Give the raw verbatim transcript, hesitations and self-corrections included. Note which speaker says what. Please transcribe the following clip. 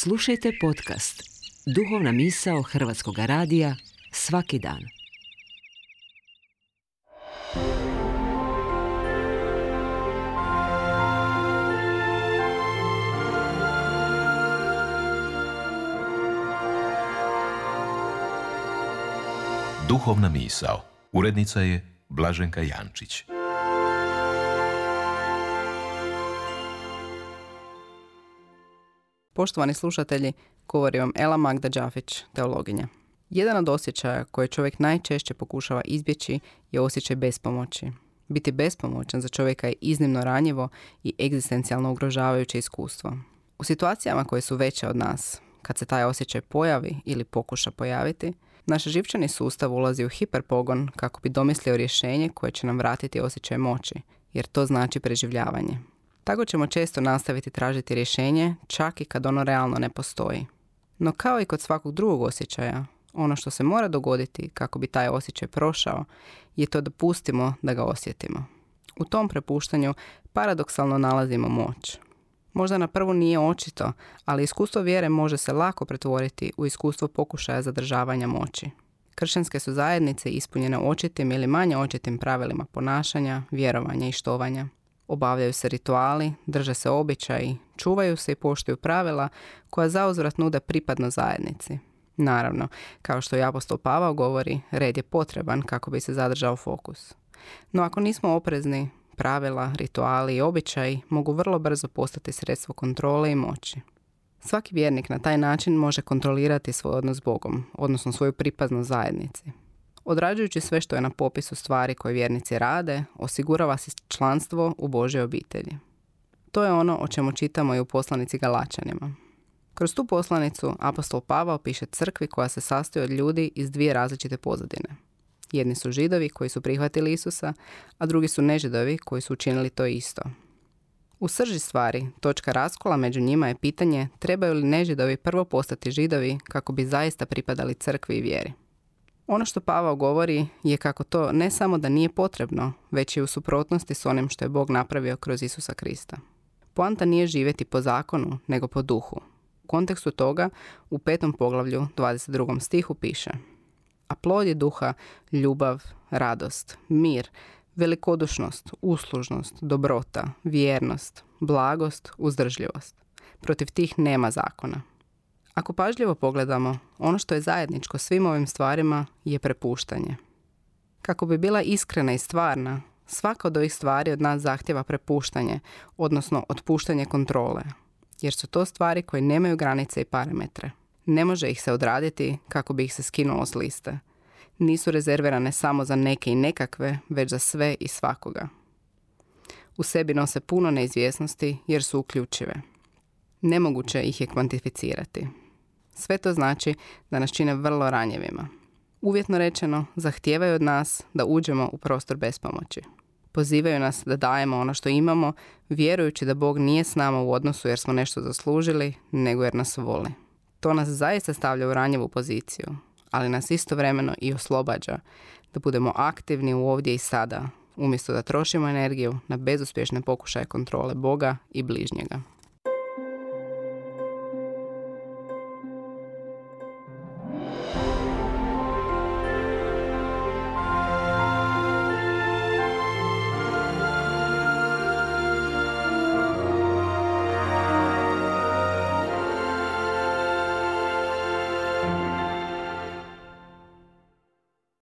Speaker 1: Slušajte podcast Duhovna misao Hrvatskog radija svaki dan.
Speaker 2: Duhovna misao. Urednica je Blaženka Jančić.
Speaker 3: Poštovani slušatelji, govori vam Ela Magda Đafić, teologinja. Jedan od osjećaja koje čovjek najčešće pokušava izbjeći je osjećaj bespomoći. Biti bespomoćan za čovjeka je iznimno ranjivo i egzistencijalno ugrožavajuće iskustvo. U situacijama koje su veće od nas, kad se taj osjećaj pojavi ili pokuša pojaviti, naš živčani sustav ulazi u hiperpogon kako bi domislio rješenje koje će nam vratiti osjećaj moći, jer to znači preživljavanje. Tako ćemo često nastaviti tražiti rješenje, čak i kad ono realno ne postoji. No kao i kod svakog drugog osjećaja, ono što se mora dogoditi kako bi taj osjećaj prošao je to da pustimo da ga osjetimo. U tom prepuštanju paradoksalno nalazimo moć. Možda na prvu nije očito, ali iskustvo vjere može se lako pretvoriti u iskustvo pokušaja zadržavanja moći. Kršćanske su zajednice ispunjene očitim ili manje očitim pravilima ponašanja, vjerovanja i štovanja. Obavljaju se rituali, drže se običaji, čuvaju se i poštuju pravila koja zauzvrat nude pripadno zajednici. Naravno, kao što i apostol Pavao govori, red je potreban kako bi se zadržao fokus. No ako nismo oprezni, pravila, rituali i običaji mogu vrlo brzo postati sredstvo kontrole i moći. Svaki vjernik na taj način može kontrolirati svoj odnos s Bogom, odnosno svoju pripadnost zajednici. Odrađujući sve što je na popisu stvari koje vjernici rade, osigurava se članstvo u Božjoj obitelji. To je ono o čemu čitamo i u poslanici Galačanima. Kroz tu poslanicu apostol Pavao piše crkvi koja se sastoji od ljudi iz dvije različite pozadine. Jedni su Židovi koji su prihvatili Isusa, a drugi su nežidovi koji su učinili to isto. U srži stvari, točka raskola među njima je pitanje trebaju li nežidovi prvo postati Židovi kako bi zaista pripadali crkvi i vjeri. Ono što Pavao govori je kako to ne samo da nije potrebno, već je u suprotnosti s onim što je Bog napravio kroz Isusa Krista. Poanta nije živjeti po zakonu, nego po duhu. U kontekstu toga, u petom poglavlju, dvadeset drugom stihu piše: a plod je duha ljubav, radost, mir, velikodušnost, uslužnost, dobrota, vjernost, blagost, uzdržljivost. Protiv tih nema zakona. Ako pažljivo pogledamo, ono što je zajedničko svim ovim stvarima je prepuštanje. Kako bi bila iskrena i stvarna, svaka od ovih stvari od nas zahtjeva prepuštanje, odnosno otpuštanje kontrole, jer su to stvari koje nemaju granice i parametre. Ne može ih se odraditi kako bi ih se skinulo s liste. Nisu rezervirane samo za neke i nekakve, već za sve i svakoga. U sebi nose puno neizvjesnosti jer su uključive. Nemoguće ih je kvantificirati. Sve to znači da nas čine vrlo ranjivima. Uvjetno rečeno, zahtijevaju od nas da uđemo u prostor bespomoći. Pozivaju nas da dajemo ono što imamo, vjerujući da Bog nije s nama u odnosu jer smo nešto zaslužili, nego jer nas voli. To nas zaista stavlja u ranjivu poziciju, ali nas istovremeno i oslobađa da budemo aktivni u ovdje i sada, umjesto da trošimo energiju na bezuspješne pokušaje kontrole Boga i bližnjega.